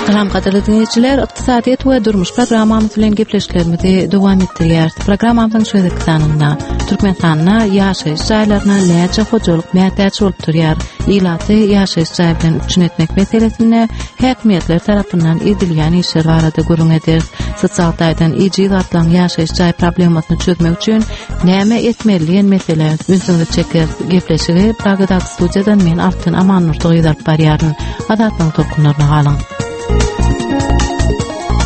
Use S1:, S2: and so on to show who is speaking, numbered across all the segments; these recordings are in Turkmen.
S1: Salam gadyrly diňleýjiler, ykdysadyýet we durmuş programmamyz bilen gepleşiklerimizi dowam etdirýäris. Programmamyzyň şu gezekki sanynda Türkmenistanda ýaşaýyş jaýlaryna näçe hojalyk mätäç bolup durýar? Ilaty ýaşaýyş jaý bilen üpjün etmek meselesinde häkimiýetler tarapyndan edilýän işler barada gürrüň ederis. Sosial taýdan ejiz gatlagyň ýaşaýyş jaý problemasyny çözmek üçin näme etmeli diýen meselä ünsüňizi çekeris. Gepleşigi Pragadaky studiýadan men Altyn Amannurdy gyz alyp barýaryn. Azatlygyň tolkunlaryna galyň.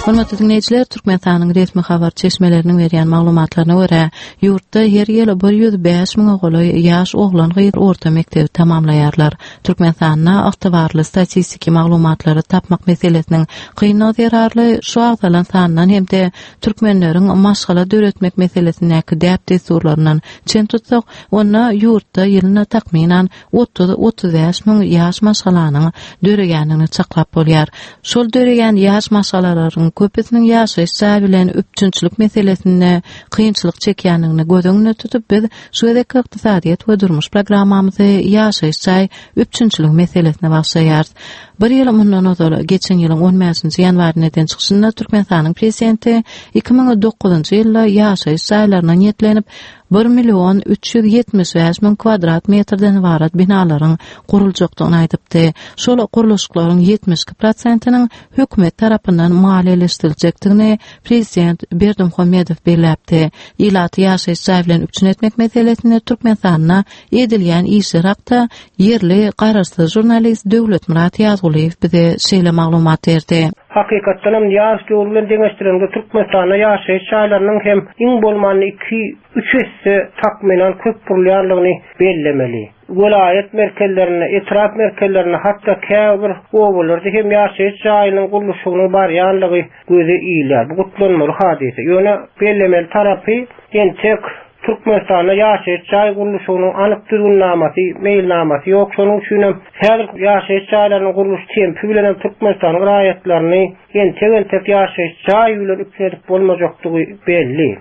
S1: Hormatly diňleýjiler, Türkmenistanyň resmi habar çeşmeleriniň berýän maglumatlaryna görä, ýurtda her ýyl 105 müňe golaý ýaş oglan-gyz orta mekdebi tamamlaýarlar. Türkmenistanda ygtybarly statistiki maglumatlary tapmak meselesiniň kynlygy zerarly şu agzalan sandan hem-de türkmenleriň maşgala döretmek meselesindäki däp-dessurlaryndan çen tutsak, onda ýurtda ýylyna takmynan 30-35 müň ýaş maşgalanyň döreýändigini çaklap bolýar. Şol döreýän ýaş maşgalalaryň köpüsiniň ýaşaýyş jaý bilen üpjünçilik meselesinde kynçylyk çekýändigini göz öňünde tutup, biz şu gezekki ykdysadyýet we durmuş programmamyzy ýaşaýyş jaý üpjünçiligi meselesine bagyşlaýarys. Bir ýyl mundan ozal, geçen ýylyň on bäşinji ýanwarynda eden çykyşynda Türkmenistanyň Prezidenti 2009-njy ýylda ýaşaýyş jaýlaryna niýetlenip, bir million 375 müň kwadrat metrden ybarat binalaryň guruljakdygyny aýdypdy. Şol gurluşyklaryň 72 prosentiniň hökümet tarapyndan maliýeleşdiriljekdigini prezident Berdimuhamedow belläpdi. Ilaty ýaşaýyş jaý bilen üpjün etmek meselesinde Türkmenistanda edilýän işler hakda ýerli garaşsyz žurnalist Döwletmyrat Ýazgulyýew bize şeýle maglumat berdi.
S2: Hakykatdan hem ýaş döwri bilen deňeşdireniňde Türkmenistanda ýaşaýyş jaýlarynyň hem iň bolmanda iki, üç esse takmynan köp gurulýandygyny bellemeli. Welaýat merkezlerinde, etrap merkezlerinde, hatda käbir obalarda hem ýaşaýyş jaýynyň gurluşygynyň barýandygy göze ilýär. Bu gutlanmaly hadysa. Ýöne bellemeli tarapy, entek Türkmenistanda ýaşaýyş jaý gurluşygynyň anyk düzgünnamasy, meýilnamasy ýok. Şonuň üçin hem häzir ýaşaýyş jaýlarynyň gurluş tempi bilen hem Türkmenistanyň raýatlaryny entek-entek ýaşaýyş jaý bilen üpjün edip bolmajakdygy belli.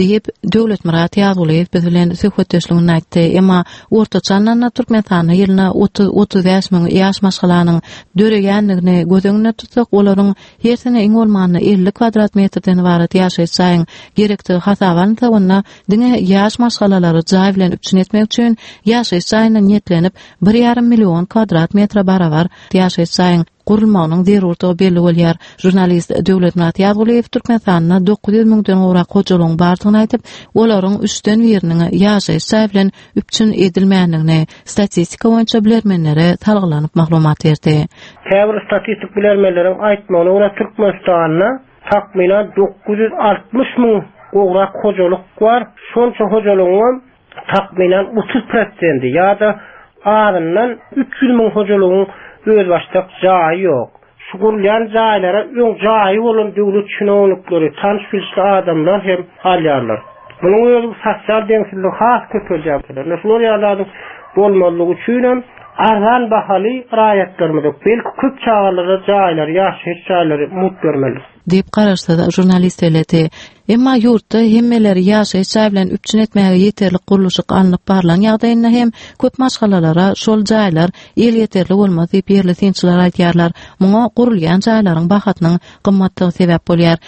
S1: Diýip, Döwletmyrat Ýazgulyýew biz bilen söhbetdeşliginde aýtdy. Emma ortaça alnanda Türkmenistanda ýylyna 30-35 müň ýaş maşgalanyň döreýändigini göz öňünde tutsak, olaryň Hersine iň bolmanda 50 kwadrat metrden ybarat ýaşaýyş jaýyň gerekdigi hasaba alynsa, onda diňe ýaş maşgalalary jaý bilen üpjün etmek üçin ýaşaýyş jaýyna niýetlenip, bir ýarym million kwadrat metre barabar ýaşaýyş jaýyň gurulmagynyň zerurdygy belli bolýar. Žurnalist Döwletmyrat Ýazgulyýew Türkmenistanda 900 müňden gowrak hojalygyň bardygyny aýdyp, olaryň üçden biriniň ýaşaýyş jaý bilen üpjün edilmändigini statistika boýunça bilermenlere salgylanyp maglumat berdi.
S2: Käbir statistik bilermenleriň aýtmagyna görä, Türkmenistanda takmynan 960 müň gowrak hojalyk bar. Şonça hojalygyňam takmynan 30 prosendi ýa-da azyndan 300 müň hojalygyň özbaşdak jaýy ýok. Şu gurulýan jaýlara öň jaýy bolan döwlet çinownikleri, tanyş-bilişli adamlar hem alýarlar. Munuň özi bu sosial deňsizligi has köpeldýär. Ine şular ýaly zadyň bolmazlygy üçin hem arzan bahaly raýatlarymyza, belki köp çagalara jaýlary, ýaşaýyş jaýlary mugt bermeli.
S1: Diýip, garaşsyz žurnalist belledi. Emma ýurtda hemmeleri ýaşaýyş jaý bilen üpjün etmäge ýeterlik gurluşyk alnyp barlan ýagdaýynda hem köp maşgalalara şol jaýlar elýeterli bolmaz diýip, ýerli synçylar aýdýarlar. Muňa gurulýan jaýlaryň bahasynyň gymmatdygy sebäp bolýar.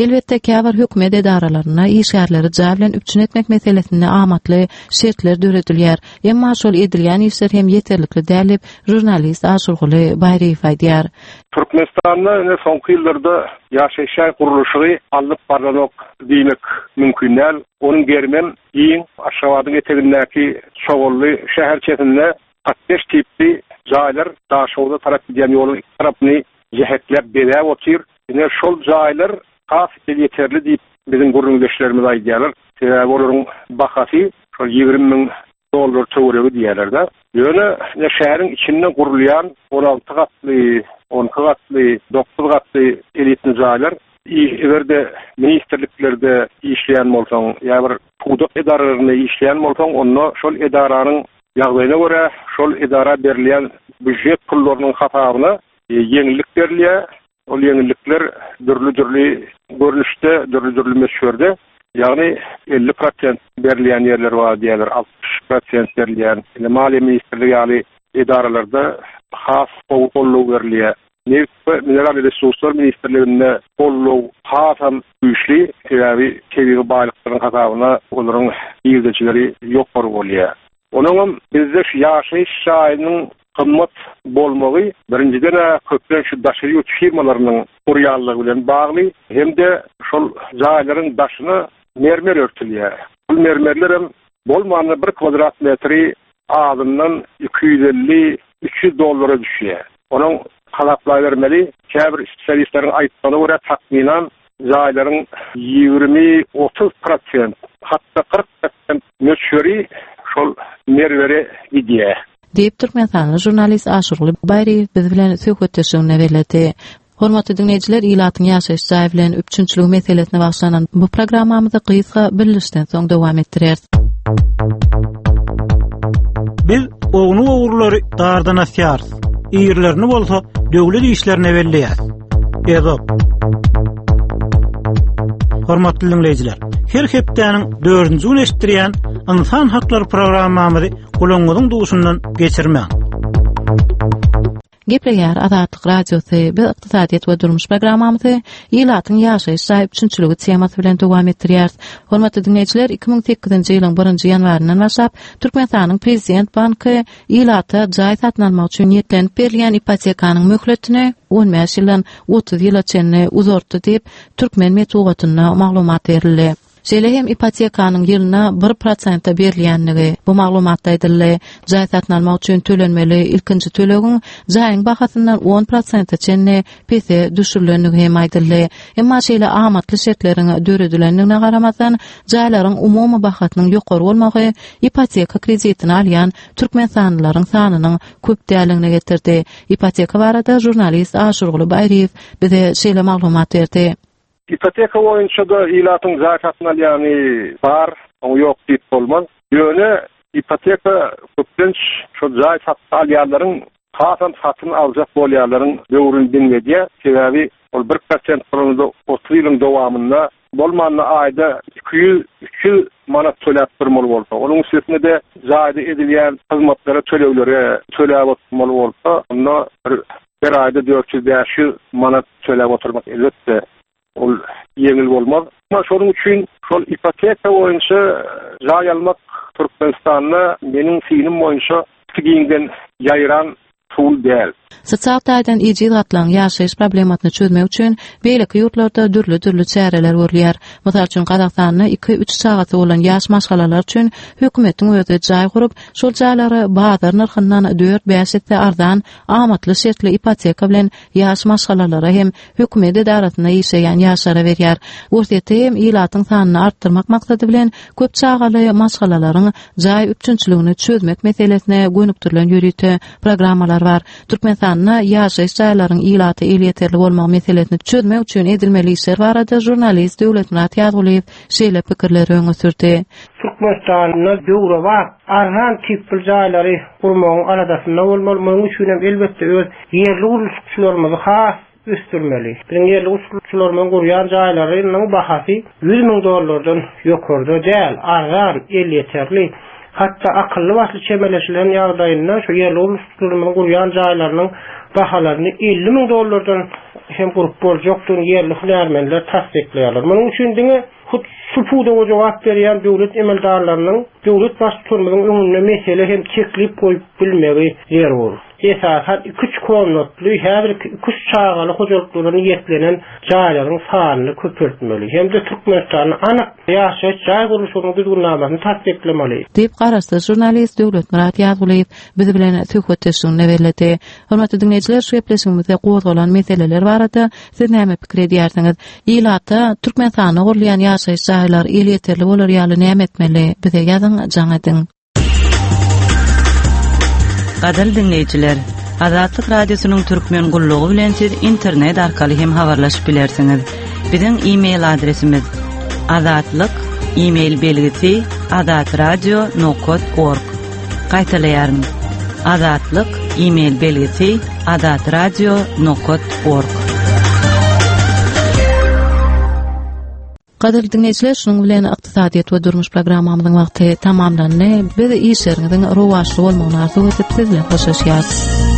S1: Elbetde, käbir hökümet edaralarynda işgärleri jaý bilen üpjün etmek meselesinde amatly şertler döredilýär. Emma şol edilýän işler hem ýeterlikli däl diýip, žurnalist Aşyrguly Baýryýew aýdýar.
S3: Türkmenistanda ine soňky ýyllarda ýaşaýyş jaý gurluşygy alnyp barlanok diýmek mümkin däl. Onuň gerimem giň. Aşgabadyň etegindäki Çogully şäherçesinde kottež tipli jaýlar Daşoguza tarap gidýän ýoluň iki tarapyny jähekläp bezäp otyr. Ine şol jaýlar has elýeterli diýip biziň gürrüňdeşlerimiz aýdýarlar. Sebäbi olaryň bahasy şol 20 müň dollar töweregi diýýärler-de. Ýöne ine şäheriň içinde gurulýan 16 gatly, 12 gatly, 9 gatly elitni jaýlar eger-de ministrliklerde işleýän bolsaň ýa bir pudak edaralarynda işleýän bolsaň, onda şol edaranyň ýagdaýyna görä şol edara berilýän býujet pullarynyň hasabyna ýeňillik berilýär. Ol ýeňillikler dürli-dürli görnüşde, dürli-dürli möçberde, ýagny 50 prosent berilýän ýerler bar diýýärler, 60 prosent berilýän. Indi Maliýe ministrligi ýaly edaralarda has gowy goldaw berilýär. Nebit we mineral resurslar ministrliginde goldaw hasam güýçli, sebäbi tebigy baýlyklaryň hasabyna olaryň girdejileri ýokary bolýar. Onuňam bizde şu ýaşaýyş jaýynyň gymmat bolmagy birinjiden-ä köplenç şu daşary ýurt firmalarynyň gurýanlygy bilen bagly hem-de şol jaýlaryň daşyna mermer örtülýär. Ol mermerlerem bolmanda bir kwadrat metri azyndan 250, 300 dollara düşýär. Onuň hasaplabermeli, käbir spesialistleriň aýtmagyna görä takmynan jaýlaryň 20-30 prosent, hatda 40 prosent möçberi şol merwere gidýär.
S1: Diýip, türkmenistanly žurnalist Aşyrguly Baýryýew biz bilen söhbetdeşliginde belledi. Hormatly diňleýjiler, ilatyň ýaşaýyş jaý bilen üpjünçiligi meselesine bagyşlanan bu programmamyzy gysga bildirişden soň dowam etdireris.
S4: Biz ownuk ogrulary dardan asýarys, irilerini bolsa döwlet işlerine belleýäris. Ezop. Hormatly diňleýjiler, her hepdäniň dördünji güni eşitdirýän Ynsan haklary programmamyzy gulagyňyzyň duşundan geçirmäň.
S1: Gepleýär Azatlyk Radiosy, biz ykdysadyýet we durmuş programmamyzy ilatyň ýaşaýyş jaý üpjünçiligi temasy bilen dowam etdirýäris. Hormatly diňleýjiler, 2008-nji ýylyň birinji ýanwaryndan başlap, Türkmenistanyň Prezident banky ilata jaý satyn almak üçin niýetlenip berilýän ipotekanyň möhletini 15 ýyldan 30 ýyla çenli uzaltdy diýip, türkmen metbugatynda maglumat berildi. Şeýle hem ipotekanyň ýylyna bir prosente berilýändigi bu maglumatda aýdyldy. Jaý satyn almak üçin tölenmeli ilkinji tölegiň jaýyň bahasyndan on prosente çenli pese düşürilendigi hem aýdyldy. Emma şeýle amatly şertleriň döredilendigine garamazdan, jaýlaryň umumy bahasynyň ýokary bolmagy ipoteka kreditini alýan türkmenistanlylaryň sanynyň köp däldigine getirdi. Ipoteka barada žurnalist Aşyrguly Baýryýew bize şeýle maglumat berdi.
S3: Ipoteka boýunça-da ilatyň jaý satyn alýany bar, oňa ýok diýip bolmaz. Ýöne ipoteka köplenç şol jaý satyn alýanlaryň, hasam satyn aljak bolýanlaryň böwrüni diňledýär. Sebäbi ol bir prosent bolanda 30 ýylyň dowamynda bolmanda aýda 200, 300 manat töläp durmaly bolsa, onuň üstesine-de jaýda edilýän hyzmatlara töleglere töläp oturmaly bolsa, onda bir Her aýda 400-500 manat töläp oturmak elbetde ol ýeňil bolmaz. Emma şonuň üçin şol ipoteka boýunça jaý almak Türkmenistanda meniň synym boýunça gaty giňden ýaýran usul däl.
S1: Sosial taýdan ejiz gatlagyň ýaşaýyş problemasyny çözmek üçin beýleki ýurtlarda dürli-dürli çäreler görülýär. Mysal üçin, Gazagystanda iki-üç çagasy bolan ýaş maşgalalar üçin hökümetiň özi jaý gurup, şol jaýlary bazar nyrhyndan dört-bäş esse arzan amatly şertli ipoteka bilen ýaş maşgalalara hem hökümet edarasynda işleýän ýaşlara berýär. Orsýetde hem ilatyň sanyny artdyrmak maksady bilen köp çagaly maşgalalaryň jaý üpjünçiligini çözmek meselesine gönükdirilen ýörite programmalar bar. Türkmenistanda ýaşaýyş jaýlaryň ilata elýeterli bolmagy meselesini çözmek üçin edilmeli işler barada žurnalist Döwletmyrat Ýazgulyýew şeýle pikirleri öňe sürdi.
S2: Türkmenistanda döwrebap, arzan tipli jaýlary gurmagyň aladasynda bolmaly. Munuň üçin hem, elbetde, öz ýerli gurluşykçylarymyzy has ösdürmeli. Biziň ýerli gurluşykçylarymyzyň gurýan jaýlarynyň bahasy 100 müň dollardan ýokarda däl, arzan, elýeterli. Hatda akylly-başly çemeleşilen ýagdaýynda şu ýerli gurluşykçylarymyzyň gurýan jaýlarynyň bahalaryny 50 müň dollardan hem gurup boljakdygyny ýerli hünärmenler tassyklaýarlar. Munuň üçin diňe Hut şu pudaga jogap berýän döwlet emeldarlarynyň döwlet Baştutanymyzyň öňünde mesele hem teklip goýup bilmegi zerur. Esasan iki-üç komnatly, häzirki iki-üç çagaly hojalyklara niýetlenen jaýlaryň sanyny köpeltmeli hem-de Türkmenistanda anyk ýaşaýyş jaý gurluşygynyň düzgünnamasyny tassyklamaly.
S1: Diýip, garaşsyz žurnalist Döwletmyrat Ýazgulyýew biz bilen söhbetdeşliginde belledi. Hormatly diňleýjiler, şu gepleşigimizde gozgalan meseleler barada siz näme pikir edýärsiňiz? Ilata Türkmenistanda gurulýan ýaşaýyş jaýlar elýeterli bolar ýaly näme etmeli? Bize ýazyň, jaň ediň.
S5: Gadyrly diňleýjiler, Azatlyk Radiosynyň Türkmen gullugy bilen siz internet arkaly hem habarlaşyp bilersiňiz. Biziň e-mail adresimiz azatlyk e-mail belgisi azatradio nokat org. Gaýtalaýaryn. Azatlyk e-mail belgisi azatradio nokat org.
S1: Gadyrly diňleýjiler, şunuň bilen ykdysadyýet we durmuş programmamyzyň wagty tamamlandy. Biz işleriňiziň rowaçly bolmagyny arzuw edip, siz bilen hoşlaşýarys.